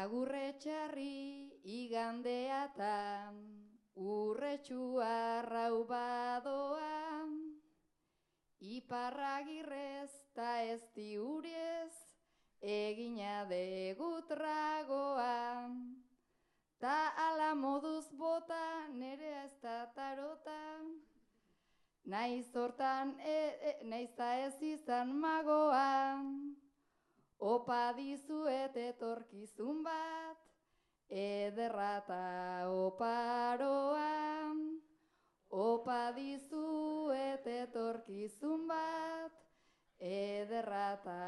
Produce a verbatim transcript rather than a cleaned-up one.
Agurre txarri igandeatan, urretxua rau badoa, iparragirrez ta ez diurez, egina degutragoa. Ta ala moduz bota nerea ez da tarota, naiz hortan e, e, naiz ta ez izan magoa. Opa dizuet etorkizun bat, ederra ta oparoa. Opa dizuet etorkizun bat, ederra ta